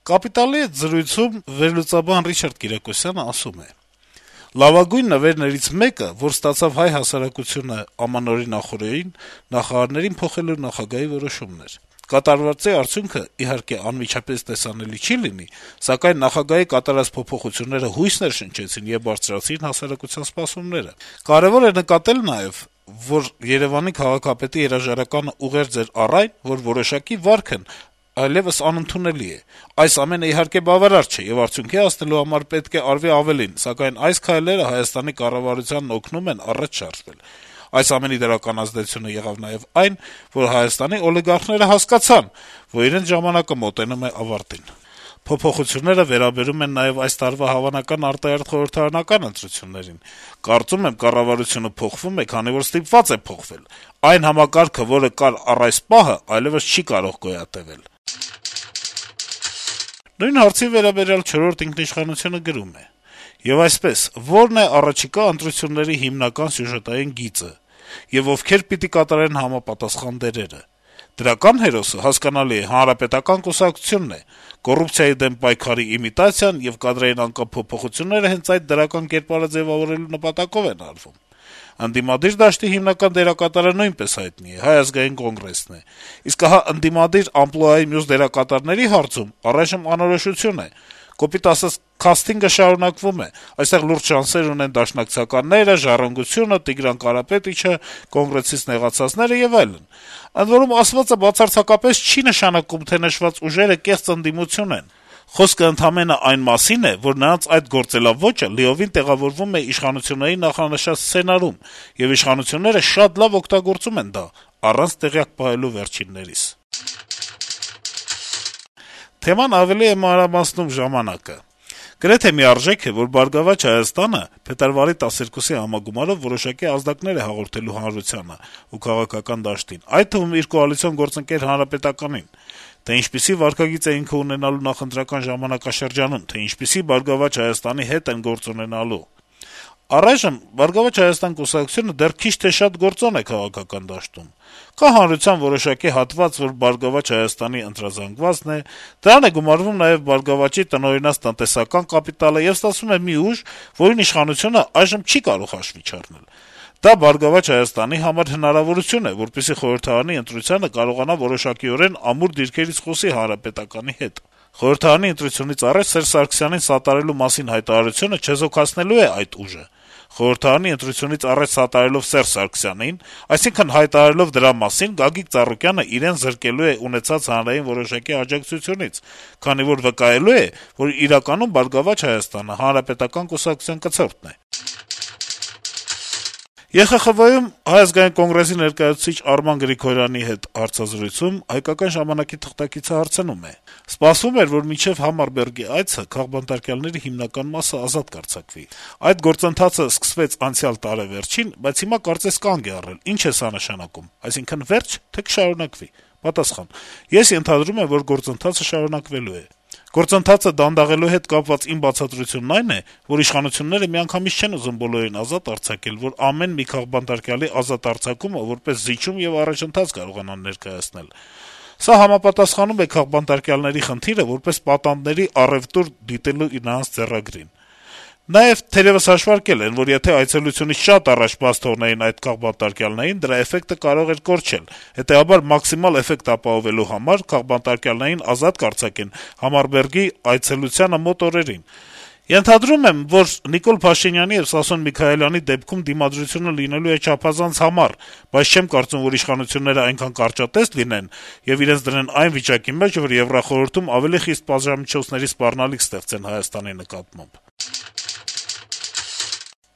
«Կապիտալ»-ի հետ զրույցում վերլուծաբան Ռիչարդ Կիրակոսյանը ասում է. - «Լավագույն նվերներից մեկը, որ ստացավ հայ հասարակությունը ամանորի նախօրեին, նախարարներին փոխելու նախագահի որոշումն էր: Կատարվածի արդյունքը, իհարկե, անմիջապես տեսանելի չի լինի, սակայն նախագահի կատարած փոփոխությունները հույս ներշնչեցին եւ բարձրացրին հասարակության սպասումները: Կարեւոր է նկատել նաեւ, որ Երեւանի քաղաքապետի հրաժարականը ուղերձ էր առ այն, որ որոշակի վարքն այլեւս անընդունելի է: Այս ամենը, իհարկե, բավարար չէ, եւ արդյունքի հասնելու համար պետք է արվի ավելին, սակայն այս քայլերը Հայաստանի կառավարությանն օգնում են առաջ շարժվել: Այս ամենի դրական ազդեցությունը եղավ նաեւ այն, որ Հայաստանի օլիգարխները հասկացան, որ իրենց ժամանակը մոտենում է ավարտին: Փոփոխությունները վերաբերում են նաեւ այս տարվա հավանական արտահերթ խորհրդարանական ընտրություններին: Կարծում եմ, կառավարությունը փոխվում է, քանի որ ստիպված է փոխվել: Այն համակարգը, որը կար առ այս պահը, այլեւս չի կարող գոյատեւել»: Նույն հարցի վերաբերյալ «Չորրորդ ինքնիշխանություն»-ը գրում է. - «Եվ այսպես, ո՞րն է առաջիկա ընտրությունների հիմնական սյուժետային գիծը, եւ ովքեր պիտի կատարեն համապատասխան դերերը: Դրական հերոսը, հասկանալի է, Հանրապետական կուսակցությունն է: Կոռուպցիայի դեմ պայքարի իմիտացիան եւ կադրային անկապ փոփոխությունները հենց այդ դրական կերպարը ձեւավորելու նպատակով են արվում: Ընդդիմադիր դաշտի հիմնական դերակատարը նույնպես հայտնի է` Հայ ազգային կոնգրեսն է: Իսկ ահա ընդդիմադիր ամպլուայի մյուս դերակատարների հարցում առայժմ անորոշություն է: Կոպիտ ասած, քասթինգը շարունակվում է: Այստեղ լուրջ շանսեր ունեն Դաշնակցականները, Ժառանգությունը, Տիգրան Կարապետիչը, Կոնգրեսից նեղացածները եւ այլն: Ընդ որում, ասվածը բացարձակապես չի նշանակում, թե նշված ուժերը կեղծ ընդդիմություն են: Խոսքը ընդամենը այն մասին է, որ նրանց այդ գործելաոճը լիովին տեղավորվում է իշխանությունների նախանշած սցենարում, եւ իշխանությունները շատ լավ օգտագործում են դա` առանց տեղյակ պահելու վերջիններիս»: Թեման ավելի է մանրամասնում «Ժամանակ»-ը. - «Գրեթե միարժեք է, որ «Բարգավաճ Հայաստանը» փետրվարի 12-ի համագումարով որոշակի ազդակներ է հաղորդելու հանրությանը ու քաղաքական դաշտին, այդ թվում իր կոալիցիոն գործընկեր Հանրապետականին: Թե ինչպիսի վարքագիծ է ինքը ունենալու նախընտրական ժամանակաշրջանում, թե ինչպիսի «Բարգավաճ Հայաստանի» հետ են գործ ունենալու: Առայժմ «Բարգավաճ Հայաստան» կուսակցությունը դեռ քիչ թե շատ գործոն է քաղաքական դաշտում: Կա հանրության որոշակի հատված, որ «Բարգավաճ Հայաստանի» ընտրազանգվածն է, դրան է գումարվում նաեւ «Բարգավաճի» տնօրինած տնտեսական կապիտալը, եւ ստացվում է մի ուժ, որին իշխանությունը այժմ չի կարող հաշվի չառնել: Դա «Բարգավաճ Հայաստանի» համար հնարավորություն է, որպեսզի խորհրդարանի ընտրությանը կարողանա որոշակիորեն ամուր դիրքերից խոսի Հանրապետականի հետ: Խորհրդարանի ընտրությունից առաջ Սերժ Սարգսյանին սատարելու մասին հայտարարությունը չեզոքացնելու է այդ ուժը: Խորհրդարանի ընտրությունից առաջ սատարելով Սերժ Սարգսյանին, այսինքն` հայտարարելով դրա մասին, Գագիկ Ծառուկյանը իրեն զրկելու է ունեցած հանրային որոշակի աջակցությունից, քանի որ վկայելու է, որ իրականում «Բարգավաճ Հայաստանը» Հանրապետական կուսակցության կցորդն է»: ԵԽԽՎ-ում Հայ ազգային կոնգրեսի ներկայացուցիչ Արման Գրիգորյանի հետ հարցազրույցում «Հայկական ժամանակ»-ի թղթակիցը հարցնում է. - «Սպասվում էր, որ մինչեւ Համարբերգի այցը քաղբանտարկյալների հիմնական մասը ազատ կարձակվի: Այդ գործընթացը սկսվեց անցյալ տարեվերջին, բայց հիմա կարծես կանգ է առել: Ի՞նչ է սա նշանակում: Այսինքն վե՞րջ, թե՞ կշարունակվի»: Պատասխան. - «Ես ենթադրում եմ, որ գործընթացը շարունակվելու է: Գործընթացը դանդաղելու հետ կապված իմ բացատրությունն այն է, որ իշխանությունները միանգամից չեն ուզում բոլորին ազատ արձակել, որ ամեն մի քաղբանտարկյալի ազատ արձակումը որպես զիջում եւ առաջընթաց կարողանան ներկայացնել: Սա համապատասխանում է քաղբանտարկյալների խնդիրը որպես պատանդների առեւտուր դիտելու նրանց ձեռագրին: Նաեւ թերեւս հաշվարկել են, որ եթե այցելությունից շատ առաջ բաց թողնեին այդ քաղբանտարկյալներին, դրա էֆեկտը կարող էր կորչել: Հետեւաբար, մաքսիմալ էֆեկտ ապահովելու համար քաղբանտարկյալներին ազատ կարձակեն Համարբերգի այցելությանը մոտ օրերին: Ենթադրում եմ, որ Նիկոլ Փաշինյանի եւ Սասուն Միքայելյանի դեպքում դիմադրությունը լինելու է չափազանց համառ, բայց չեմ կարծում, որ իշխանությունները այնքան կարճատեծ լինեն եւ իրենց դնեն այն վիճակի մեջ, որ Եվրախորհրդում ավելի խիստ պատժամիջոցների սպառնալիք ստեղծեն Հայաստանի նկատմամբ»: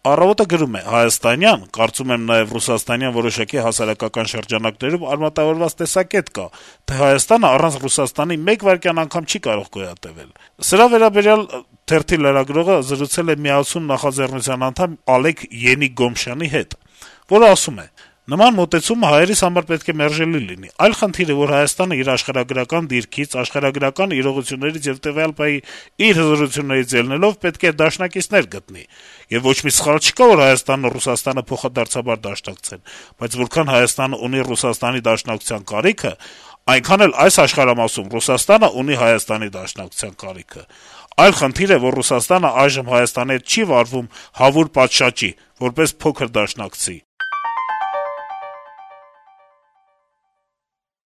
«Առավոտ»-ը գրում է. - «Հայաստանյան, կարծում եմ նաեւ ռուսաստանյան որոշակի հասարակական շրջանակներում արմատավորված տեսակետ կա, թե Հայաստանը առանց Ռուսաստանի մեկ վայրկյան անգամ չի կարող գոյատեւել: Սրա վերաբերյալ թերթի լրագրողը զրուցել է «Միացուն» նախաձեռնության անդամ Ալեք Յենի-Գոմշյանի հետ, որը ասում է. - «Նման մոտեցումը հայերիս համար պետք է մերժելի լինի: Այլ խնդիր է, որ Հայաստանը իր աշխարհագրական դիրքից, աշխարհագրական իրողություններից եւ տվյալ պահի իր հզորություններից ելնելով պետք է դաշնակիցներ գտնի: Եվ ոչ մի սխալ չկա, որ Հայաստանն ու Ռուսաստանը փոխադարձաբար դաշնակցեն: Բայց որքան Հայաստանը ունի Ռուսաստանի դաշնակցության կարիքը, Այնքան էլ այս աշխարհամասում Ռուսաստանը ունի Հայաստանի դաշնակցության կարիքը: Այլ խնդիր է, որ Ռուսաստանը այժմ Հայաստանի հետ չի վարվում հավուր պատշաճի, որպես փոքր դաշնակցի: